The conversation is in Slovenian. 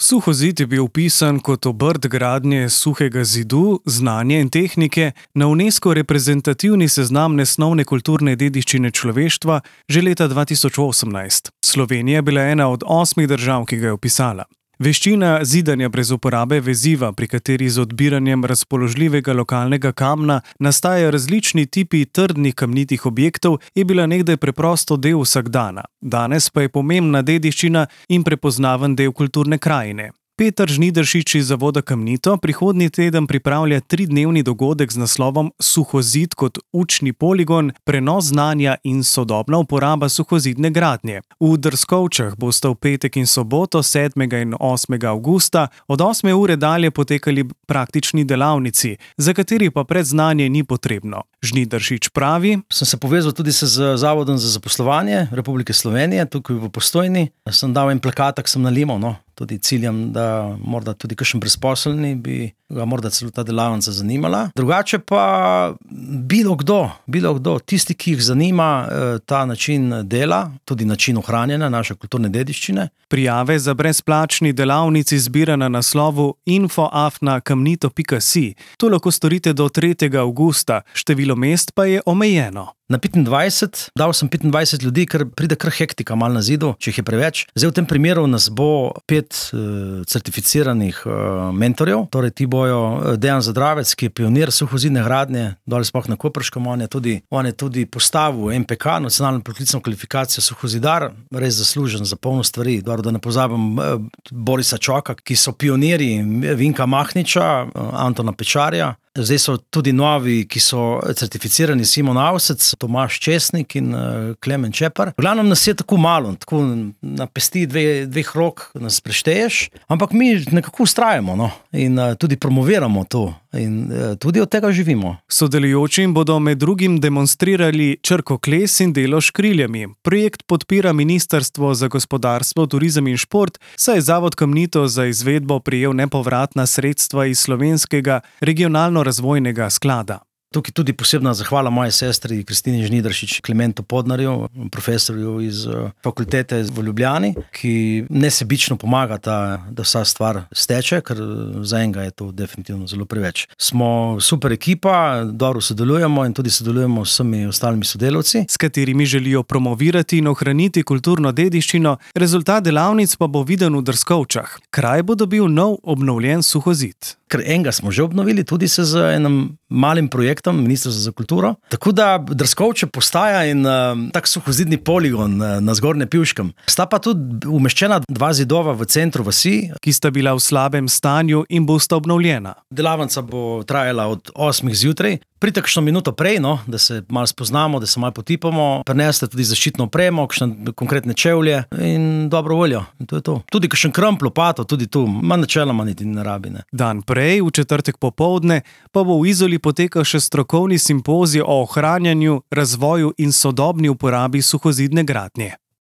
Suhozid je bil vpisan kot obrt gradnje suhega zidu, znanja in tehnike na UNESCO reprezentativni seznam nesnovne kulturne dediščine človeštva že leta 2018. Slovenija je bila ena od 8 držav, ki ga je vpisala. Veščina zidanja brez uporabe veziva, pri kateri z odbiranjem razpoložljivega lokalnega kamna nastajajo različni tipi trdnih kamnitih objektov, je bila nekdaj preprosto del vsakdana. Danes pa je pomembna dediščina in prepoznaven del kulturne krajine. Peter Žnidaršič iz Zavoda Kamnito prihodnji teden pripravlja 3-dnevni dogodek z naslovom Suhozid kot učni poligon, prenos znanja in sodobna uporaba suhozidne gradnje. V Drskovčah bosta v petek in soboto 7. in 8. avgusta od 8. ure dalje potekali praktični delavnici, za kateri pa predznanje ni potrebno. Žnidaršič pravi: Sem se povezal tudi z Zavodom za zaposlovanje Republike Slovenije, tukaj v Postojni. Sem dal en plakatek, sem nalimal, tudi ciljam, da morda tudi kakšen brezposelni bi ga morda celo ta delavnica zanimala. Drugače pa bilo kdo, tisti, ki jih zanima ta način dela, tudi način ohranjanja naše kulturne dediščine. Prijave za brezplačni delavnici zbira na naslovu info@kamnito.si. To lahko storite do 3. avgusta, število mest pa je omejeno. Na 25, dal sem 25 ljudi, ker pride kar hektika malo na zidu, če jih je preveč. Zdaj v tem primeru nas bo 5 certificiranih mentorjev, torej ti bojo Dejan Zadravec, ki je pionir suhozidne gradnje, dole sploh na Koprškem, on je tudi postavil MPK, nacionalno poklicno kvalifikacijo suhozidar, res zaslužen za polno stvari, da ne pozabim Borisa Čoka, ki so pionirji, Vinka Mahniča, Antona Pečarja. Zdaj so tudi novi, ki so certificirani, Simon Avsec, Tomaž Česnik in Klemen Čepar. V glavnem nas je tako malo, tako na pesti dveh rok nas prešteješ, ampak mi nekako ustrajamo in tudi promoviramo to in tudi od tega živimo. Sodelujočim bodo med drugim demonstrirali črkokles in delo s kriljami. Projekt podpira Ministrstvo za gospodarstvo, turizem in šport, saj je Zavod Kamnito za izvedbo prejel nepovratna sredstva iz slovenskega regionalno-razvojnega sklada. Tukaj tudi posebna zahvala moji sestri Kristini Žnidaršič, Klementu Podnarju, profesorju iz fakultete v Ljubljani, ki nesebično pomaga, da vsa stvar steče, ker za enega je to definitivno zelo preveč. Smo super ekipa, dobro sodelujemo in tudi sodelujemo s vsemi ostalimi sodelavci, s katerimi želijo promovirati in ohraniti kulturno dediščino. Rezultat delavnic pa bo viden v Drskovčah. Kraj bo dobil nov obnovljen suhozid. Ker enega smo že obnovili, tudi se z enim malim projektom Ministrstva za kulturo. Tako da Drskovče postaja in tak suhozidni poligon na Zgornjem Pivškem. Sta pa tudi umeščena 2 zidova v centru vasi, ki sta bila v slabem stanju in bosta obnovljena. Delavnica bo trajala od 8 zjutraj. Pridite kakšno minuto prej, da se malo spoznamo, da se malo potipamo, prinesete tudi zaščitno opremo, kakšne konkretne čevlje in dobro voljo. In to je to. Tudi kakšen kramp, lopato, tudi tu, načeloma niti ne rabi. Dan prej, v četrtek popoldne, pa bo v Izoli potekal še strokovni simpozij o ohranjanju, razvoju in sodobni uporabi suhozidne gradnje.